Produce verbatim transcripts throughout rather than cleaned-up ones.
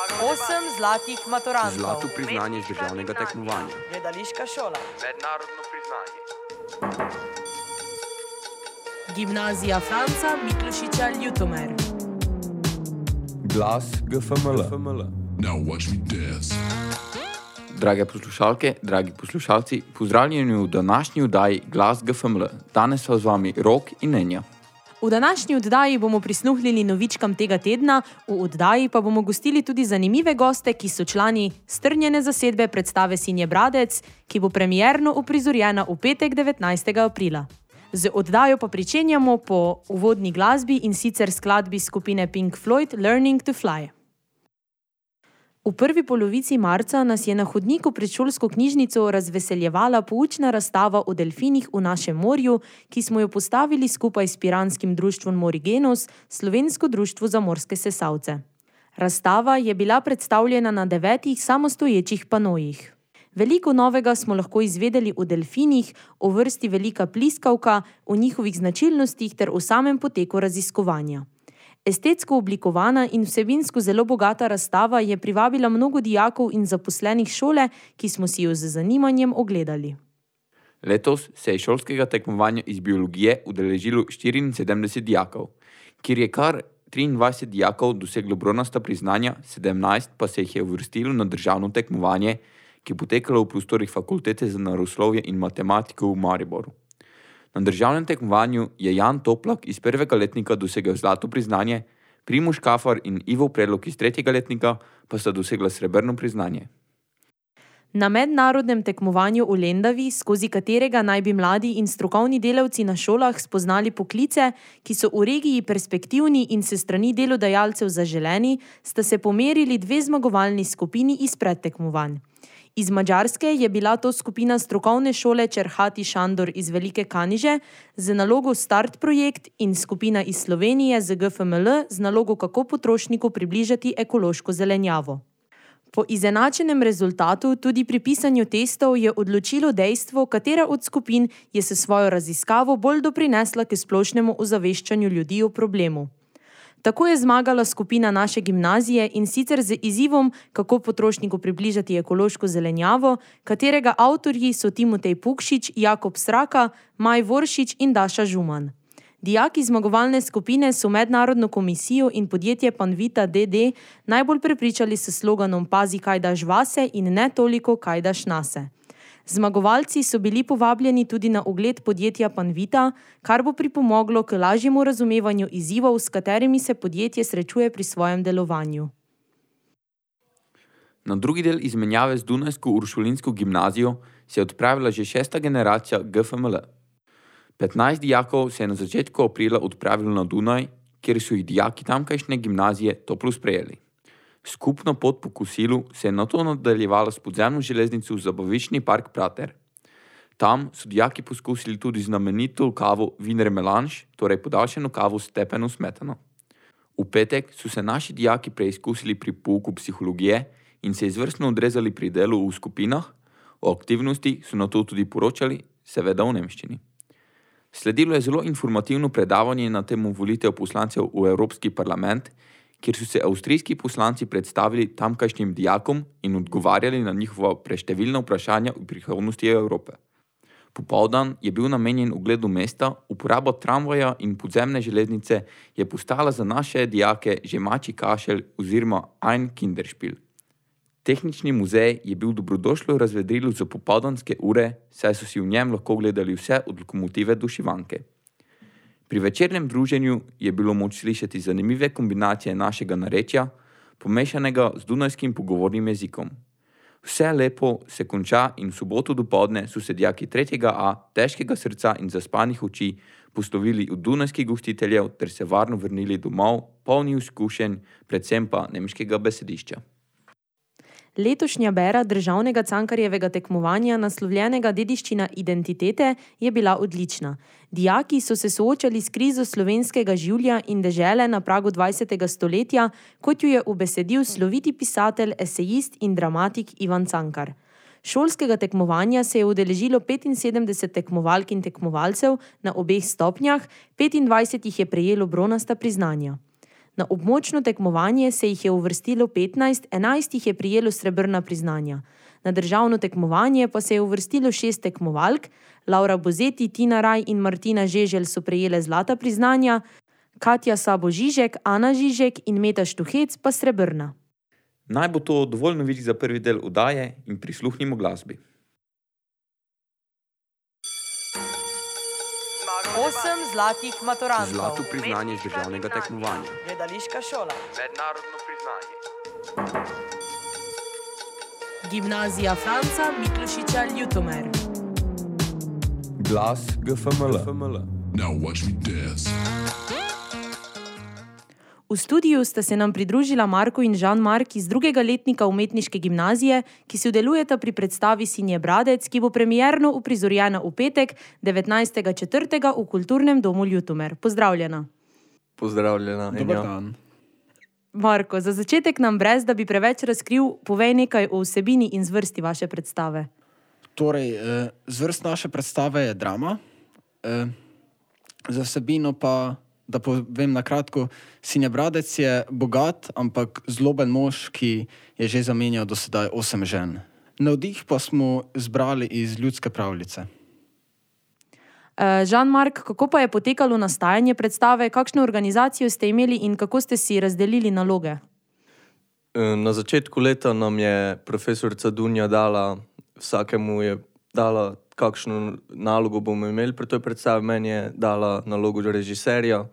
Osem zlatih maturantov. Zlato priznanje z državnega tekmovanja. Gledališka šola. Mednarodno priznanje. Gimnazija Franca Miklošiča Ljutomer. Glas G F M L. Now watch me dance. Drage poslušalke, dragi poslušalci, pozdravljeni v današnji oddaji Glas G F M L. Danes so z vami Rok in Nenja. V današnji oddaji bomo prisluhnili novičkam tega tedna, v oddaji pa bomo gostili tudi zanimive goste, ki so člani strnjene zasedbe predstave Sinje Bradec, ki bo premierno uprizorjena v petek devetnajstega aprila. Z oddajo pa pričenjamo po uvodni glasbi in sicer skladbi skupine Pink Floyd Learning to Fly. V prvi polovici marca nas je na hodniku pred šolsko knjižnico razveseljevala poučna razstava o delfinih v našem morju, ki smo jo postavili skupaj s piranskim društvom Morigenos, Slovensko društvo za morske sesalce. Razstava je bila predstavljena na devetih samostoječih panojih. Veliko novega smo lahko izvedeli o delfinih, o vrsti velika pliskavka, o njihovih značilnostih ter o samem poteku raziskovanja. Estetsko oblikovana in vsebinsko zelo bogata razstava je privabila mnogo dijakov in zaposlenih šole, ki smo si jo z zanimanjem ogledali. Letos se je šolskega tekmovanja iz biologije udeležilo štiriinsedemdeset dijakov, kjer je kar triindvajset dijakov doseglo bronasta priznanja, sedemnajst pa se jih je uvrstilo na državno tekmovanje, ki je potekalo v prostorih Fakultete za naravoslovje in matematiko v Mariboru. Na državnem tekmovanju je Jan Toplak iz prvega letnika dosegel zlato priznanje, Primož Kafar in Ivo Predlog iz tretjega letnika pa sta dosegla srebrno priznanje. Na mednarodnem tekmovanju v Lendavi, skozi katerega naj bi mladi in strokovni delavci na šolah spoznali poklice, ki so v regiji perspektivni in se strani delodajalcev zaželeni, sta se pomerili dve zmagovalni skupini iz predtekmovanj. Iz Madžarske je bila to skupina strokovne šole Čerhati Šandor iz Velike Kaniže z nalogo Start projekt in skupina iz Slovenije z G F M L z nalogo Kako potrošniku približati ekološko zelenjavo. Po izenačenem rezultatu tudi pri pisanju testov je odločilo dejstvo, katera od skupin je s svojo raziskavo bolj doprinesla k splošnemu ozaveščanju ljudi o problemu. Tako je zmagala skupina naše gimnazije in sicer z izzivom, kako potrošniku približati ekološko zelenjavo, katerega avtorji so Timotej Pukšič, Jakob Sraka, Maj Voršič in Daša Žuman. Dijaki zmagovalne skupine so mednarodno komisijo in podjetje Panvita D D najbolj prepričali s sloganom Pazi, kaj daš vase in ne toliko, kaj daš nase. Zmagovalci so bili povabljeni tudi na ogled podjetja Panvita, kar bo pripomoglo k lažjemu razumevanju izzivov, s katerimi se podjetje srečuje pri svojem delovanju. Na drugi del izmenjave z Dunajsko uršulinsko gimnazijo se je odpravila že šesta generacija G F M L. petnajst dijakov se je na začetku aprila odpravilo na Dunaj, kjer so jih dijaki tamkajšnje gimnazije toplo sprejeli. Skupno pot po kosilu se je nato nadaljevala s podzemno železnico v zabaviščni park Prater. Tam so dijaki poskusili tudi znamenito kavo Wiener Melange, torej podaljšano kavo s tepeno smetano. V petek so se naši dijaki preizkusili pri pouku psihologije in se izvrstno odrezali pri delu v skupinah, o aktivnosti so nato tudi poročali, seveda v nemščini. Sledilo je zelo informativno predavanje na temo volitev poslancev v Evropski parlament, kjer so se avstrijski poslanci predstavili tamkajšnjim dijakom in odgovarjali na njihova preštevilna vprašanja o prihodnosti Evrope. Popoldan je bil namenjen ogledu mesta, uporaba tramvaja in podzemne železnice je postala za naše dijake že mačji kašelj oziroma ein Kinderspiel. Tehnični muzej je bil dobrodošlo razvedrilo za popoldanske ure, saj so si v njem lahko gledali vse od lokomotive do šivanke. Pri večernem druženju je bilo moč slišati zanimive kombinacije našega narečja, pomešanega z dunajskim pogovornim jezikom. Vse lepo se konča in v soboto dopoldne so se dijaki tretjega A težkega srca in zaspanih oči poslovili od dunajskih gostiteljev ter se varno vrnili domov, polni izkušenj, predvsem pa nemškega besedišča. Letošnja bera državnega Cankarjevega tekmovanja naslovljenega Dediščina identitete je bila odlična. Dijaki so se soočali s krizo slovenskega življa in dežele na pragu dvajsetega stoletja, kot jo je ubesedil sloviti pisatelj, esejist in dramatik Ivan Cankar. Šolskega tekmovanja se je udeležilo petinsedemdeset tekmovalk in tekmovalcev na obeh stopnjah, petindvajset jih je prejelo bronasta priznanja. Na območno tekmovanje se jih je uvrstilo petnajst, enajst jih je prejelo srebrna priznanja. Na državno tekmovanje pa se je uvrstilo šest tekmovalk, Laura Bozeti, Tina Raj in Martina Žeželj so prejele zlata priznanja, Katja Sabo Žižek, Ana Žižek in Meta Štuhec pa srebrna. Naj bo to dovolj novic za prvi del oddaje in prisluhnimo glasbi. Osem zlatih maturantov. Zlato priznanje z državnega tekmovanja. Gledališka šola. Mednarodno priznanje. Gimnazija Franca Miklošiča Ljutomer. Glas G F M L. Now watch me dance. V studiu sta se nam pridružila Marko in Jean-Marc iz drugega letnika umetniške gimnazije, ki si udelujeta pri predstavi Sinje Bradec, ki bo premierno uprizorjena v petek, devetnajstega četrtega v Kulturnem domu Ljutomer. Pozdravljena. Pozdravljena. Dober dan. Marko, za začetek nam brez, da bi preveč razkril, povej nekaj o vsebini in zvrsti vaše predstave. Torej, zvrst naše predstave je drama, za vsebino pa, da povem na kratko, Sinja Bradec je bogat, ampak zloben mož, ki je že zamenjal do sedaj osem žen. Navdih pa smo zbrali iz ljudske pravljice. Jean-Marc, kako pa je potekalo nastajanje predstave, kakšno organizacijo ste imeli in kako ste si razdelili naloge? Na začetku leta nam je profesorica Dunja dala, vsakemu je dala, kakšno nalogo bomo imeli pri toj predstavi. Meni je dala nalogo režiserja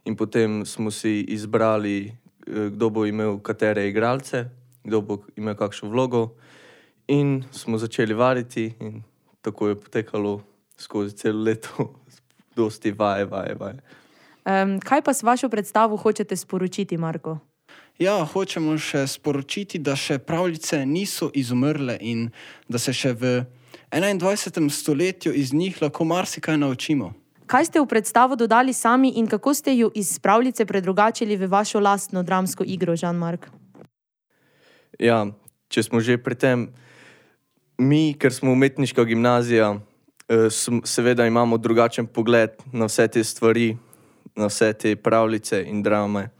in potem smo si izbrali, kdo bo imel katere igralce, kdo bo imel kakšno vlogo in smo začeli vaditi in tako je potekalo skozi celo leto, dosti vaje, vaje, vaje. Um, kaj pa s vašo predstavo hočete sporočiti, Marko? Ja, hočemo še sporočiti, da še pravljice niso izumrle in da se še v enaindvajsetem stoletju iz njih lahko marsikaj naučimo. Kaj ste v predstavo dodali sami in kako ste jo iz pravljice predrugačili v vašo lastno dramsko igro, Jean-Marc? Ja, če smo že pri tem, mi, ker smo umetniška gimnazija, seveda imamo drugačen pogled na vse te stvari, na vse te pravljice in drame.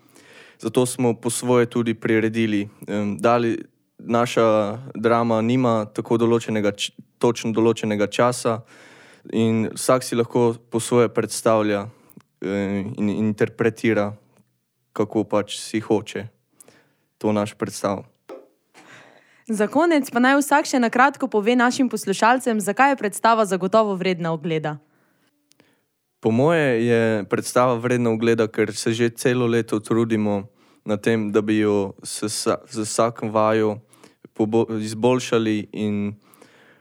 Zato smo po svoje tudi priredili. Dali, naša drama nima tako določenega, točno določenega časa in vsak si lahko po svoje predstavlja in interpretira, kako pač si hoče to naš predstav. Za konec pa naj vsak še na kratko pove našim poslušalcem, zakaj je predstava zagotovo vredna ogleda. Po moje je predstava vredna ogleda, ker se že celo leto trudimo na tem, da bi jo z vsakim vajo izboljšali in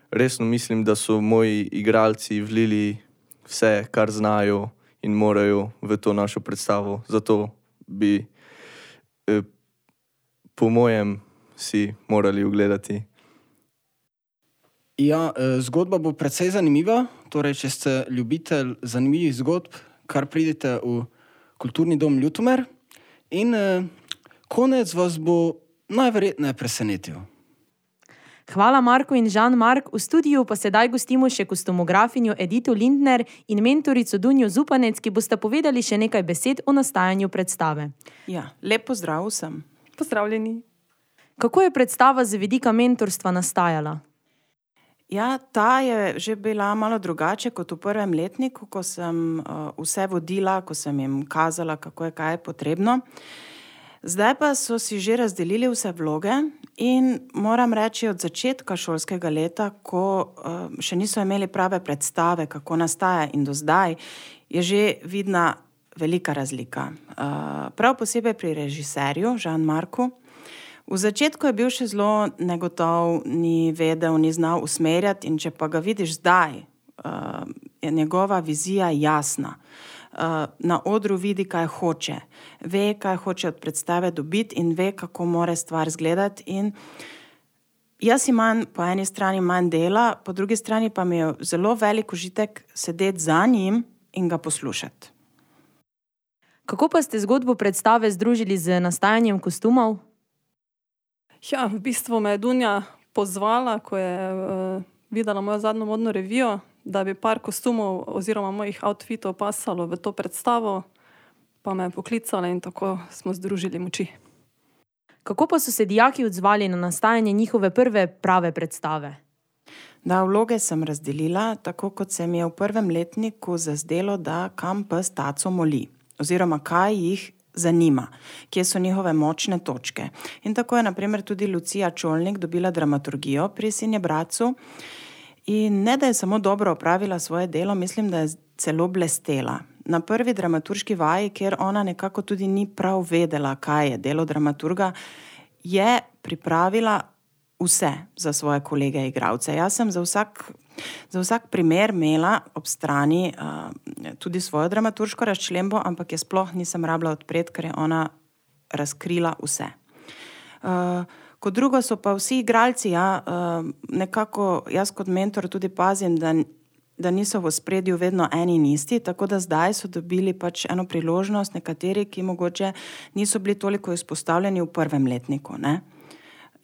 resno mislim, da so moji igralci vlili vse, kar znajo in morajo v to našo predstavo. Zato bi eh, po mojem si morali ogledati. Ja, zgodba bo precej zanimiva, torej, če ste ljubitelj zanimivih zgodb, kar pridete v Kulturni dom Ljutomer in eh, konec vas bo najverjetneje presenetil. Hvala Marko in Jean-Marc, v studiu pa sedaj gostimo še kostumografinjo Edito Lindner in mentorico Dunjo Zupanec, ki bosta povedali še nekaj besed o nastajanju predstave. Ja, lep pozdrav vsem. Pozdravljeni. Kako je predstava z vidika mentorstva nastajala? Ja, ta je že bila malo drugače kot v prvem letniku, ko sem uh, vse vodila, ko sem jim kazala, kako je kaj potrebno. Zdaj pa so si že razdelili vse vloge in moram reči od začetka šolskega leta, ko uh, še niso imeli prave predstave, kako nastaja in do zdaj, je že vidna velika razlika. Uh, prav posebej pri režiserju, Jean-Marcu. V začetku je bil še zelo negotov, ni vedel, ni znal usmerjati in če pa ga vidiš zdaj, uh, je njegova vizija jasna. Uh, na odru vidi, kaj hoče. Ve, kaj hoče od predstave dobiti in ve, kako mora stvar izgledati. In jaz imam po eni strani manj dela, po drugi strani pa mi je zelo velik užitek sedeti za njim in ga poslušati. Kako pa ste zgodbo predstave združili z nastajanjem kostumov? Ja, v bistvu me je Dunja pozvala, ko je uh, videla mojo zadnjo modno revijo, da bi par kostumov oziroma mojih outfitov pasalo v to predstavo. pa me poklicala in tako smo združili moči. Kako pa so se dijaki odzvali na nastajanje njihove prve prave predstave? Da, vloge sem razdelila, tako kot se mi je v prvem letniku zazdelo, da kam pes taco moli, oziroma kaj jih zanima, kje so njihove močne točke. In tako je na primer tudi Lucija Čolnik dobila dramaturgijo pri Sinje Bratcu. In ne, da je samo dobro opravila svoje delo, mislim, da je celo blestela. Na prvi dramaturški vaji, kjer ona nekako tudi ni prav vedela, kaj je delo dramaturga, je pripravila vse za svoje kolege igralce. Jaz sem za vsak, za vsak primer imela ob strani uh, tudi svojo dramaturško razčlembo, ampak je sploh nisem rabila odpreti, ker je ona razkrila vse. Uh, kot drugo so pa vsi igralci, ja, uh, nekako jaz kot mentor tudi pazim, da, da niso v ospredju vedno eni in isti, tako da zdaj so dobili pač eno priložnost, nekateri, ki mogoče niso bili toliko izpostavljeni v prvem letniku, ne.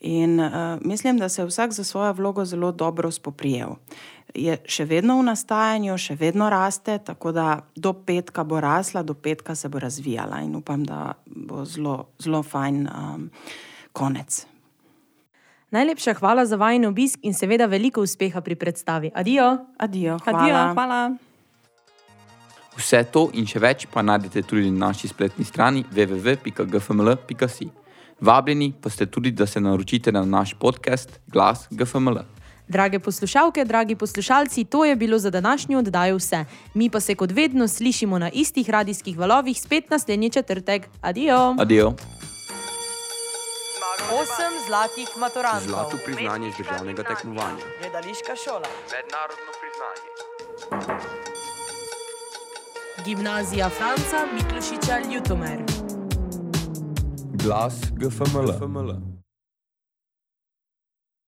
In uh, mislim, da se je vsak za svojo vlogo zelo dobro spoprijel. Je še vedno v nastajanju, še vedno raste, tako da do petka bo rasla, do petka se bo razvijala in upam, da bo zelo, zelo fajn um, konec. Najlepša hvala za vajin obisk in seveda veliko uspeha pri predstavi. Adijo. Adijo, hvala. Adijo, hvala. Vse to in še več pa najdete tudi na naši spletni strani w w w pika g f m l pika si. Vabljeni pa ste tudi, da se naročite na naš podcast Glas G F M L. Drage poslušalke, dragi poslušalci, to je bilo za današnjo oddajo vse. Mi pa se kot vedno slišimo na istih radijskih valovih spet naslednji četrtek. Adijo. Adijo. Osem zlatih maturantov. Zlato priznanje z državnega tekmovanja. Gledališka šola. Mednarodno priznanje. Gimnazija Franca Miklošiča Ljutomer. Glas G F M L.